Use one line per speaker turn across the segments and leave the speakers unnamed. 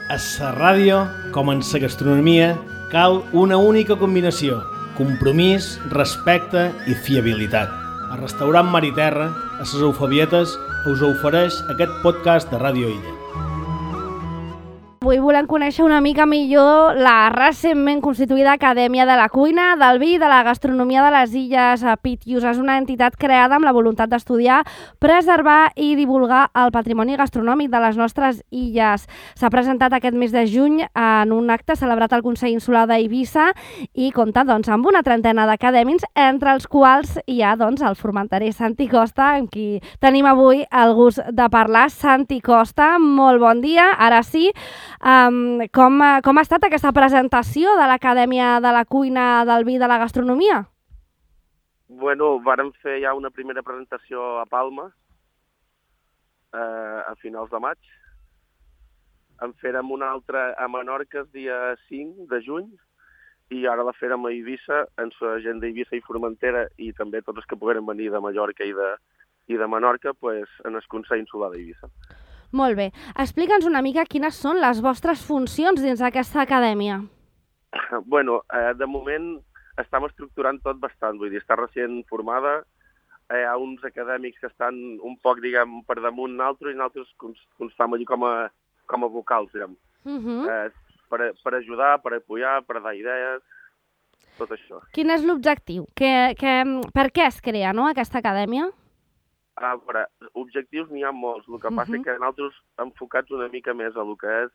A la ràdio, com en la gastronomia, cal una única combinació: compromís, respecte i fiabilitat. El restaurant Mar i Terra, a les Eufebietes, us ofereix aquest podcast de Ràdio Illa.
Avui volem conèixer una mica millor la recentment constituïda Acadèmia de la Cuina, del Vi i de la Gastronomia de les Illes Pitius. És una entitat creada amb la voluntat d'estudiar, preservar i divulgar el patrimoni gastronòmic de les nostres illes. S'ha presentat aquest mes de juny en un acte celebrat al Consell Insular d'Eivissa i compta amb una trentena d'acadèmics, entre els quals hi ha el formenterer Santi Costa, amb qui tenim avui el gust de parlar. Santi Costa, molt bon dia. Ara sí, com ha estat aquesta presentació de l'Acadèmia de la Cuina, del Vi i de la Gastronomia?
Bueno, vàrem fer ja una primera presentació a Palma a finals de maig. En fèrem una altra a Menorca el dia 5 de juny i ara la fèrem a Eivissa, en la gent d'Eivissa i Formentera i també tots els que pogueren venir de Mallorca i de Menorca en el Consell Insular d'Eivissa.
Molt bé. Explica'ns una mica quines són les vostres funcions dins d'aquesta acadèmia.
Bueno, de moment estem estructurant tot bastant, vull dir, està recient formada, hi ha uns acadèmics que estan un poc, diguem, per damunt d'altres i nosaltres constam allí com a vocals, diguem. Per ajudar, per apoyar, per dar idees, tot això.
Quin és l'objectiu? Per què es crea, aquesta acadèmia?
A veure, objectius n'hi ha molts, el que passa és que nosaltres enfocats una mica més a el que és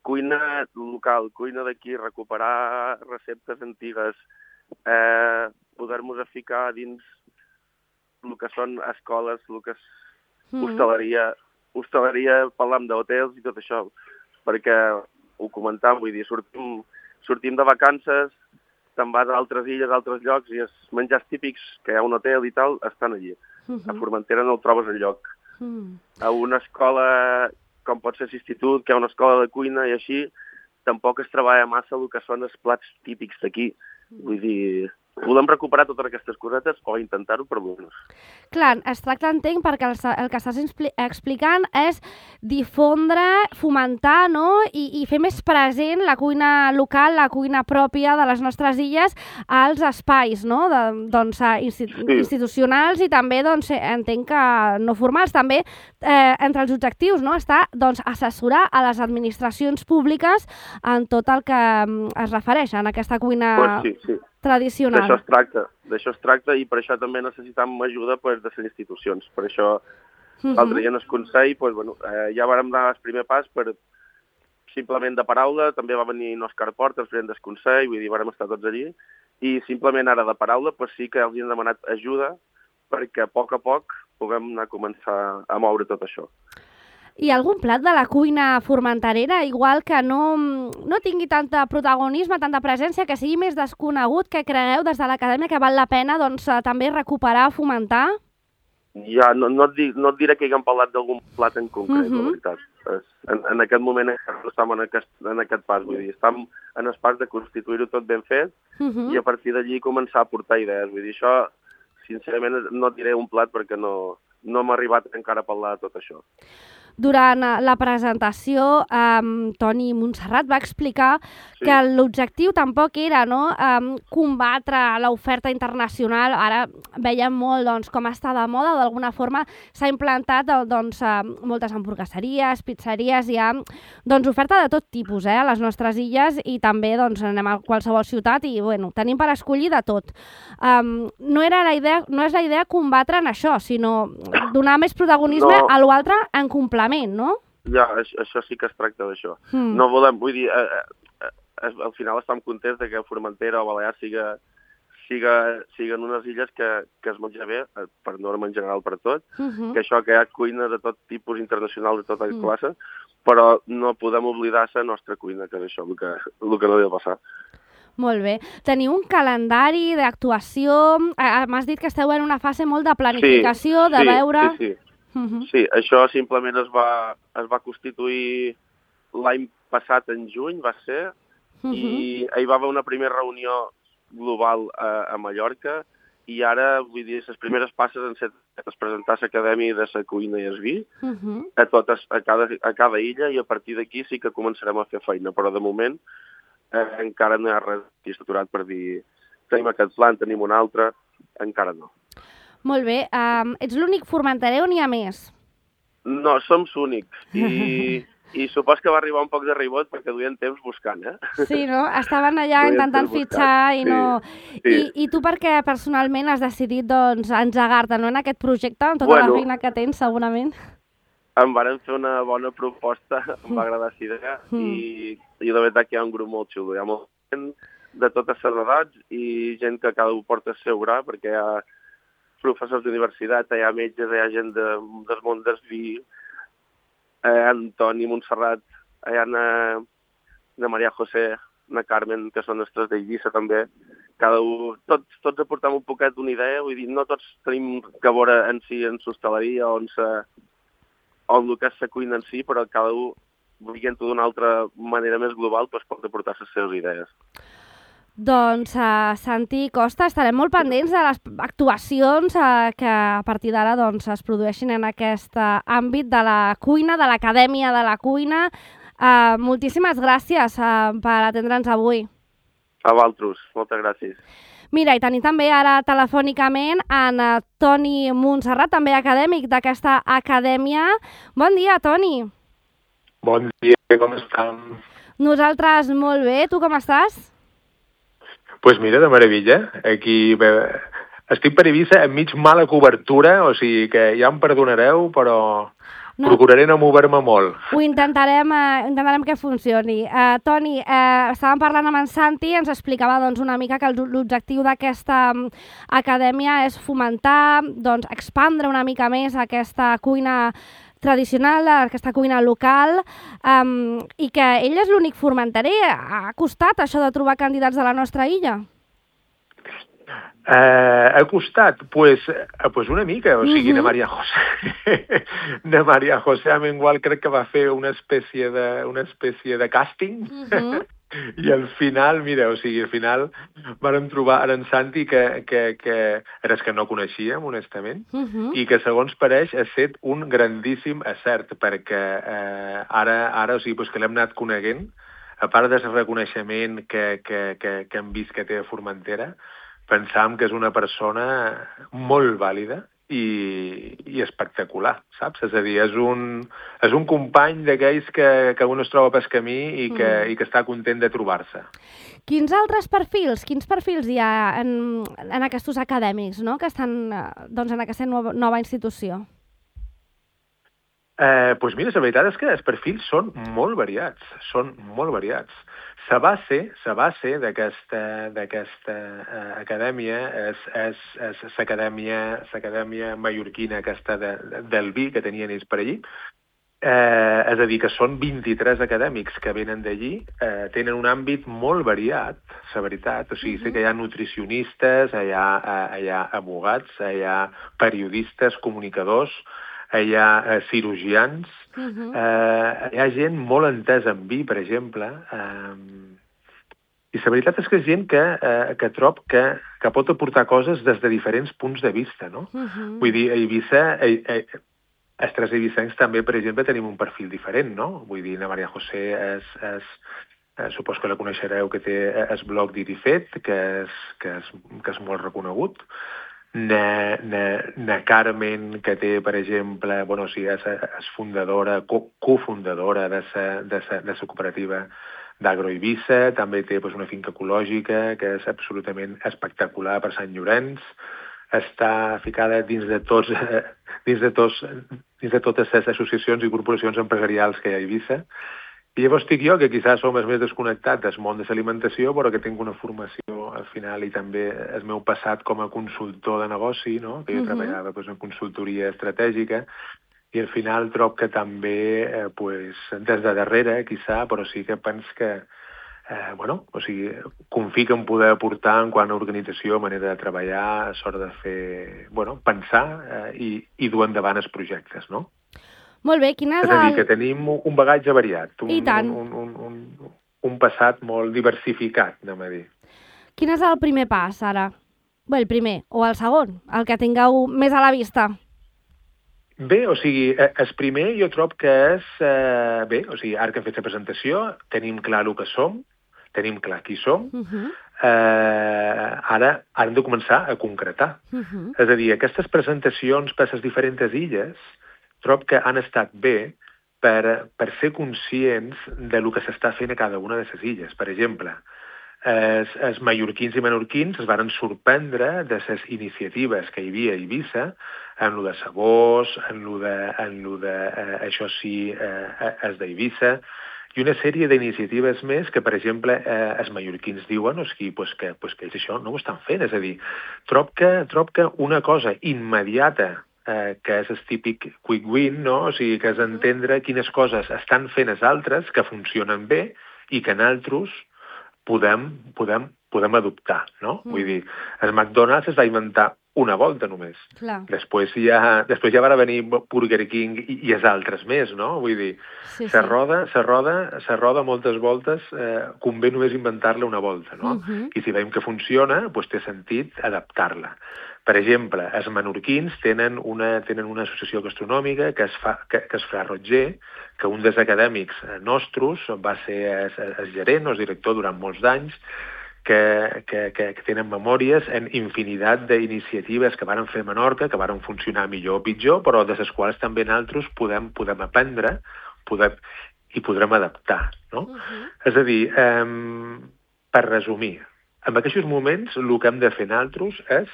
cuina local, cuina d'aquí, recuperar receptes antigues, poder-nos ficar dins el que són escoles, el que és hostaleria, parlam d'hotels i tot això, perquè ho comentàvem, vull dir, sortim de vacances, te'n vas a altres illes, a altres llocs, i els menjars típics que hi ha un hotel i tal, estan allí. A Formentera no el trobes enlloc. A una escola, com pot ser l'institut, que hi ha una escola de cuina i així, tampoc es treballa massa el que són els plats típics d'aquí. Vull dir, volem recuperar totes aquestes cosetes o intentar-ho per almenys.
Clar, es tracta, entenc, perquè el que estàs explicant és difondre, fomentar, i fer més present la cuina local, la cuina pròpia de les nostres illes als espais, institucionals i també, entenc que no formals. També entre els objectius està assessorar a les administracions públiques en tot el que es refereix a aquesta cuina tradicional.
D'això es tracta i per això també necessitam ajuda de les institucions. Per això l'altre dia en el Consell ja vàrem dar el primer pas per simplement de paraula, també va venir Òscar Porta, el president del Consell, vull dir, vàrem estar tots allí, i simplement ara de paraula sí que els hem demanat ajuda perquè a poc puguem anar a començar a moure tot això.
Hi ha algun plat de la cuina formenterera, igual que no tingui tanta protagonisme, tanta presència, que sigui més desconegut, que cregueu des de l'acadèmia que val la pena també recuperar, fomentar?
Ja, no et diré que haguem parlat d'algun plat en concret, la veritat. En aquest moment no estem en aquest pas, vull dir, estem en el pas de constituir-ho tot ben fet i a partir d'allí començar a portar idees. Vull dir, això, sincerament, no et diré un plat perquè no m'ha arribat encara a parlar de tot això.
Durant la presentació, Toni Montserrat va explicar que l'objectiu tampoc era combatre l'oferta internacional. Ara veiem molt com està de moda, d'alguna forma s'ha implantat moltes hamburgueseries, pizzeries, hi ha oferta de tot tipus a les nostres illes i també anem a qualsevol ciutat i tenim per escollir de tot. No és la idea combatre en això, sinó donar més protagonisme a l'altre en complement, no?
Ja, això sí que es tracta d'això. No volem, vull dir, al final estem contents que Formentera o Balears siguen unes illes que es menja bé, per norma en general per tot, que això que hi ha cuina de tot tipus internacional, de tota classe, però no podem oblidar la nostra cuina, que és això, el que no ha de passar.
Molt bé. Teniu un calendari d'actuació? M'has dit que esteu en una fase molt de planificació, de veure...
Sí, això simplement es va constituir l'any passat, en juny, va ser, i hi va haver una primera reunió global a Mallorca i ara, vull dir, les primeres passes han set presentar l'acadèmia de la cuina i el vi a cada illa, i a partir d'aquí sí que començarem a fer feina, però de moment encara no hi ha res estructurat per dir tenim aquest plan, tenim un altre, encara no.
Molt bé. Ets l'únic formenterer o n'hi ha més?
No, som l'únics, i supos que va arribar un poc de ribot perquè duien temps buscant,
Sí, no? Estaven allà intentant fitxar i no...
Sí.
I tu per què personalment has decidit doncs, engegar-te en aquest projecte, amb tota la feina que tens, segurament?
Em varen fer una bona proposta, em va agradar la idea, i de veritat que hi ha un grup molt xulo. Hi ha molta gent de totes les edats i gent que cada un porta el seu gra, perquè hi ha professors d'universitat, hi ha metges, hi ha gent del món del vi, Antoni, Montserrat, hi ha na Maria José, na Carmen, que són les tres d'Eivissa també. Cada un, tots aportem un poquet d'una idea, vull dir, no tots tenim que veure en si en l'hostaleria o en el que és la cuina en si, però cada un, veient-ho d'una altra manera més global, doncs pot aportar les seves idees.
Doncs, Santi Costa, estarem molt pendents de les actuacions que a partir d'ara doncs, es produeixin en aquest àmbit de la cuina, de l'Acadèmia de la Cuina. Moltíssimes gràcies per atendre'ns avui.
A vosaltres, moltes gràcies.
Mira, i tenim també ara telefònicament en Toni Montserrat, també acadèmic d'aquesta acadèmia. Bon dia, Toni.
Bon dia, com estem?
Nosaltres molt bé, tu com estàs?
Pues mira, de meravella. Aquí estic per Eivissa enmig mala cobertura, o sigui que ja em perdonareu, però procuraré no moure-me molt.
Ho intentarem que funcioni. Toni, estàvem parlant amb en Santi, ens explicava doncs, una mica que l'objectiu d'aquesta acadèmia és fomentar, doncs, expandre una mica més aquesta cuina tradicional, aquesta cuina local, i que ell és l'únic formenterer. Ha costat això de trobar candidats de la nostra illa?
Ha costat? Pues una mica, o sigui, na Maria José Amengual crec que va fer una espècie de càsting, i al final, mira, o sigui, al final vàrem trobar en Santi que eres que no coneixíem, honestament, i que, segons pareix, ha estat un grandíssim acert, perquè ara, o sigui, pues que l'hem anat coneguent, a part del reconeixement que hem vist que té a Formentera, pensàvem que és una persona molt vàlida i espectacular, saps? És a dir, és un company d'aquells que un es troba pel camí i que està content de trobar-se.
Quins altres perfils? Quins perfils hi ha en aquests acadèmics, no?, que estan doncs, en aquesta nova institució?
Doncs mira, la veritat és que els perfils són molt variats, La base d'aquesta acadèmia és l'acadèmia mallorquina aquesta del vi que tenien ells per allí. És a dir, que són 23 acadèmics que venen d'allí, tenen un àmbit molt variat, la veritat. O sigui, sé que hi ha nutricionistes, hi ha abogats, hi ha periodistes, comunicadors, hi ha cirurgians, hi ha gent molt entesa en vi, per exemple, i la veritat és que és gent que trob que pot aportar coses des de diferents punts de vista, no? Vull dir, a Eivissa, els tres eivissencs també, per exemple, tenim un perfil diferent, no? Vull dir, la Maria José supos que la coneixereu, que té el blog d'Irifet, que és molt reconegut. Na Carmen, que té, per exemple, bueno, o sigui, és fundadora, cofundadora de la cooperativa d'Agroeivissa, també té una finca ecològica que és absolutament espectacular per Sant Llorenç, està ficada dins de totes les associacions i corporacions empresarials que hi ha a Eivissa. I llavors estic jo, que quizás som els més desconnectats del món de l'alimentació, però que tinc una formació al final i també el meu passat com a consultor de negoci, no? Que jo treballava en consultoria estratègica, i al final trob que també, des de darrere, quizá, però sí que penso que, o sigui, confio en poder aportar en quant a organització, manera de treballar, sort de fer, pensar i dur endavant els projectes, no?
Molt bé, quin és
a dir, que tenim un bagatge variat,
un
passat molt diversificat, anem a dir.
Quin és el primer pas, ara? Bé, el primer o el segon, el que tingueu més a la vista.
Bé, o sigui, el primer jo trobo que és... Bé, o sigui, ara que hem fet la presentació, tenim clar el que som, tenim clar qui som, ara hem de començar a concretar. És a dir, aquestes presentacions per les diferents illes trobo que han estat bé per ser conscients de lo que s'està fent a cada una de les illes. Per exemple, els mallorquins i menorquins es van sorprendre de les iniciatives que hi havia a Eivissa en lo de Sabós, en lo de això sí, els d'Eivissa, i una sèrie d'iniciatives més que, per exemple, els mallorquins diuen que ells això no ho estan fent. És a dir, trobo que una cosa immediata que és el típic quick win, no? O sigui, que és entendre quines coses estan fent els altres que funcionen bé i que nosaltres podem adoptar, no? Vull dir, el McDonald's es va inventar una volta només.
Clar.
Després ja van venir Burger King i els altres més, no? Vull dir, se roda moltes voltes, convé només inventar-la una volta, no? I si veiem que funciona, doncs té sentit adaptar-la. Per exemple, els menorquins tenen una associació gastronòmica que es fa Roger, que un dels acadèmics nostres va ser el gerent o el director durant molts d'anys, que tenen memòries en infinitat d'iniciatives que varen fer a Menorca, que varen funcionar millor o pitjor, però de les quals també nosaltres podem aprendre i podrem adaptar, no? És a dir, per resumir, en aquests moments el que hem de fer nosaltres és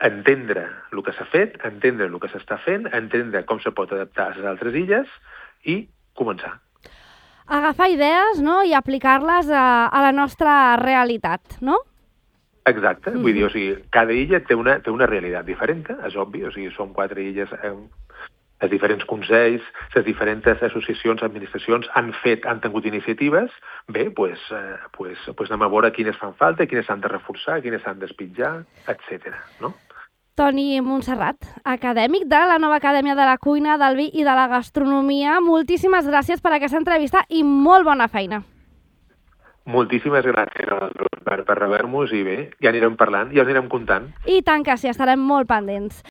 entendre el que s'ha fet, entendre el que s'està fent, entendre com se pot adaptar a les altres illes i començar.
Agafar idees, no?, i aplicar-les a la nostra realitat, no?
Exacte, vull dir, o sigui, cada illa té una realitat diferent, és obvi, o sigui, són 4 illes, els diferents consells, les diferents associacions, administracions han tingut iniciatives, bé, doncs anem a veure quines fan falta, quines s'han de reforçar, quines s'han d'espitjar, etc. no?
Toni Montserrat, acadèmic de la nova Acadèmia de la Cuina, del Vi i de la Gastronomia, moltíssimes gràcies per aquesta entrevista i molt bona feina.
Moltíssimes gràcies per rebre-nos i bé, ja anirem parlant, ja us anirem contant.
I tant que sí, estarem molt pendents.